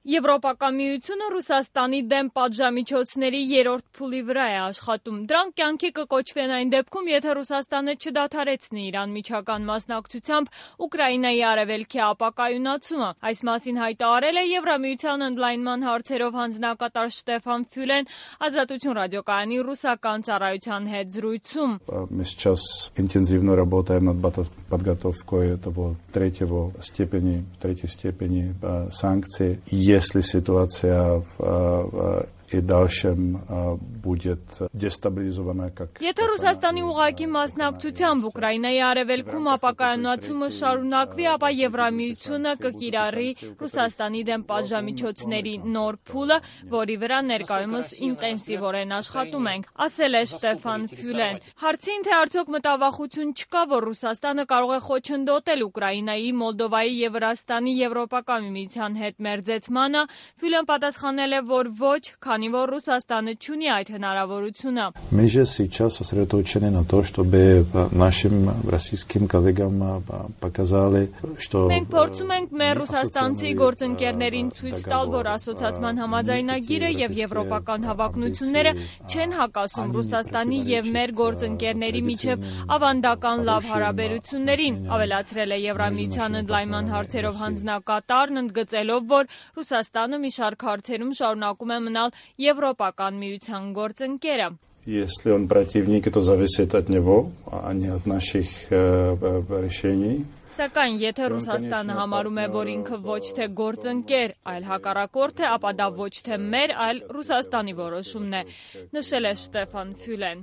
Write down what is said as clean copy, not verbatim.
Եվրոպական միությունը Ռուսաստանի դեմ պատժամիջոցների երրորդ փուլի վրա է աշխատում։ Դրանք կյանքի կկոչվեն այն դեպքում, եթե Ռուսաստանը չդադարեցնի իր անմիջական մասնակցությամբ Ուկրաինայի արևելքի ապակայունացումը։ Այս մասին հայտարարել է Եվրամիության ընդլայնման հարցերով հանձնակատար Շտեֆան Ֆյուլեն Ազատություն ռադիոկայանի ռուսական ծառայության հետ զրույցում։ Мы сейчас интенсивно работаем над подготовкой этого третьей степени санкций. Если ситуация и дальше будет дестабилизована, как... Եթե Ռուսաստանի ուղղակի մասնակցությամբ Ուկրաինայի արևելքում ապակայունացումը շարունակվի, ապա Եվրամիությունը կկիրառի Ռուսաստանի դեմ պատժամիջոցների նոր փուլը, որի վրա ներկայումս ինտենսիվորեն աշխատում ենք, ասել է Շտեֆան Ֆյուլեն։ Հարցին, թե արդյոք մտավախություն չկա, որ Ռուսաստանը կարող է խոչընդոտել Ուկրաինայի, Մոլդովայի եւ Վրաստանի Եվրոպական միության հետ մերձեցմանը, Ֆյուլեն պատասխանել է, որ ոչ, քանի որ Ռուսաստանը չունի այդ հնարավորությունը։ Мы же сейчас сосредоточены на том, чтобы нашим российским коллегам показали, что... Մենք փորձում ենք մեր ռուսաստանցի գործընկերներին ցույց տալ, որ ասոցիացման համաձայնագիրը եւ եվրոպական հավակնությունները չեն հակասում Ռուսաստանի եւ մեր գործընկերների միջև ավանդական լավ հարաբերություններին, ավելացրել է Եվրամիության ընդլայնման հարցերով հանձնակատարն, ընդգծելով, որ Ռուսաստանը մի շարք հարցերում շարունակում է մնալ Եվրոպական միության գործընկերը։ Если он противник, то зависит от него, а не от наших решений. Սակայն եթե Ռուսաստանը համարում է, որ ինքը ոչ թե գործընկեր, այլ հակառակորդ է, ապա դա ոչ թե մեր, այլ Ռուսաստանի որոշումն է, նշել է Շտեֆան Ֆյուլեն։